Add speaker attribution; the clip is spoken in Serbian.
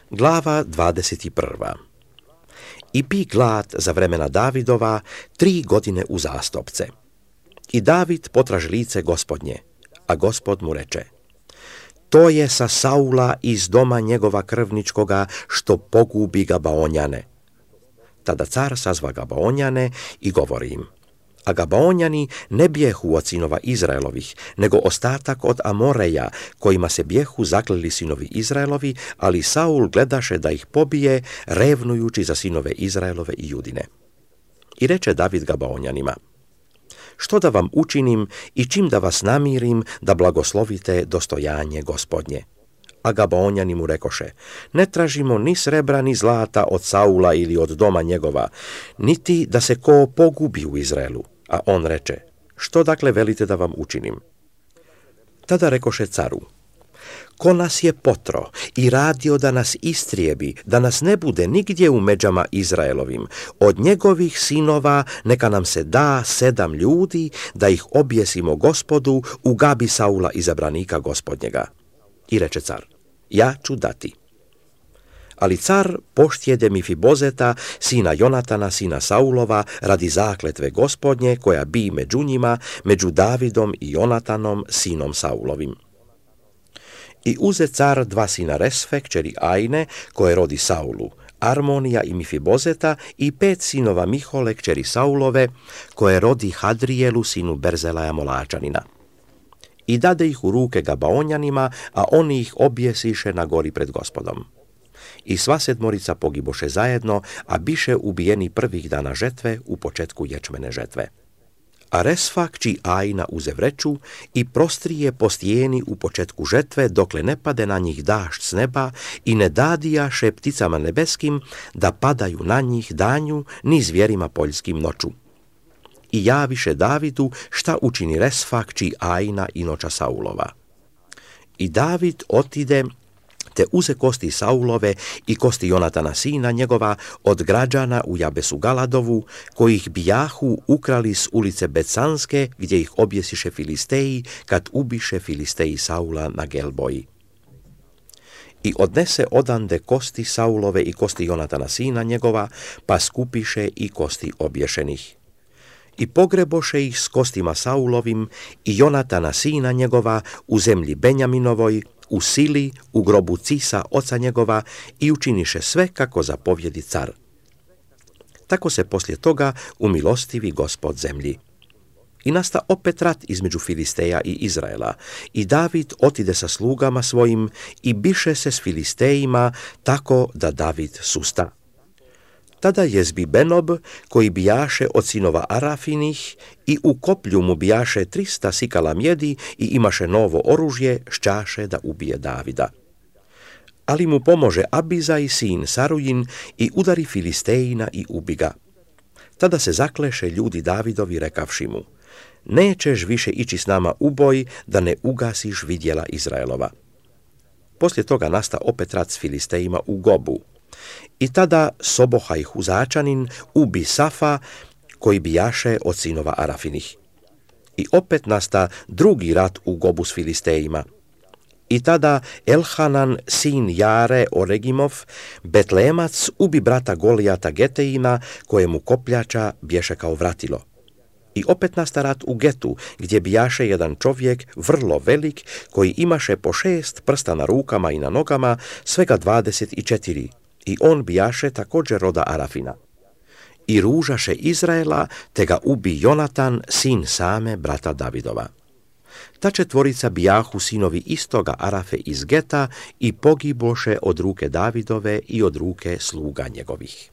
Speaker 1: Glava 21. I bi glad za vremena Davidova 3 godine uzastopce. I David potraži lice Gospodnje, a Gospod mu reče: to je sa Saula iz doma njegova krvničkoga, što pogubi Gabaonjane. Tada car sazva Gabaonjane i govori im: a Gabaonjani ne bijehu od sinova Izraelovih, nego ostatak od Amoreja, kojima se bijehu zakleli sinovi Izraelovi, ali Saul gledaše da ih pobije, revnujući za sinove Izraelove i Judine. I reče David Gabaonjanima: što da vam učinim i čim da vas namirim da blagoslovite dostojanje Gospodnje? A Gabaonjani mu rekoše: ne tražimo ni srebra ni zlata od Saula ili od doma njegova, niti da se ko pogubi u Izraelu. A on reče: što dakle velite da vam učinim? Tada rekoše caru: ko nas je potro i radio da nas istrijebi, da nas ne bude nigdje u međama Izraelovim, od njegovih sinova neka nam se da 7 ljudi, da ih objesimo Gospodu u Gabi Saula izabranika Gospodnjega. I reče car: ja ću dati. Ali car poštjede Mifibozeta, sina Jonatana, sina Saulova, radi zakletve Gospodnje, koja bi među njima, među Davidom i Jonatanom, sinom Saulovim. I uze car 2 sina Resfe, kćeri Ajne, koje rodi Saulu, Armonija i Mifibozeta, i 5 sinova Mihole, kćeri Saulove, koje rodi Hadrijelu, sinu Berzelaja Molačanina. I dade ih u ruke Gabaonjanima, a oni ih objesiše na gori pred Gospodom. I sva 7 pogiboše zajedno, a biše ubijeni prvih dana žetve u početku ječmene žetve. A Resfa, kći Ajna, uze vreću i prostrije po stijeni u početku žetve, dokle ne pade na njih dašt s neba, i ne dadijaše pticama nebeskim da padaju na njih danju, ni zvjerima poljskim noću. I javiše Davidu šta učini Resfa, kći Ajna, inoča Saulova. I David otide te uze kosti Saulove i kosti Jonatana sina njegova od građana u Jabesu Galadovu, kojih bijahu ukrali s ulice Becanske, gdje ih objesiše Filisteji, kad ubiše Filisteji Saula na Gelboji. I odnese odande kosti Saulove i kosti Jonatana sina njegova, pa skupiše i kosti obješenih. I pogreboše ih s kostima Saulovim i Jonatana sina njegova u zemlji Benjaminovoj, u Sili, u grobu Cisa oca njegova, i učiniše sve kako zapovjedi car. Tako se poslije toga umilostivi Gospod zemlji. I nasta opet rat između Filisteja i Izraela, i David otide sa slugama svojim i biše se s Filistejima, tako da David susta. Tada jezbi Benob, koji bijaše od sinova Arafinih, i u koplju mu bijaše 300 sikala mjedi i imaše novo oružje, šćaše da ubije Davida. Ali mu pomože Abizaj sin Sarujin i udari Filistejina i ubi ga. Tada se zakleše ljudi Davidovi rekavši mu: nećeš više ići s nama u boj, da ne ugasiš vidjela Izraelova. Poslije toga nasta opet rat s Filistejima u Gobu. I tada Sobohaj Huzačanin ubi Safa, koji bijaše od sinova Arafinih. I opet nasta drugi rat u Gobu s Filistejima. I tada Elhanan, sin Jare Oregimov, Betlemac, ubi brata Golijata Getejina, kojemu kopljača bješe kao vratilo. I opet nasta rat u Getu, gdje bijaše jedan čovjek, vrlo velik, koji imaše po 6 prsta na rukama i na nogama, svega 24. I on bijaše također roda Arafina. I ružaše Izraela, te ga ubi Jonatan, sin Same, brata Davidova. Ta 4 bijahu sinovi istoga Arafe iz Geta i pogiboše od ruke Davidove i od ruke sluga njegovih.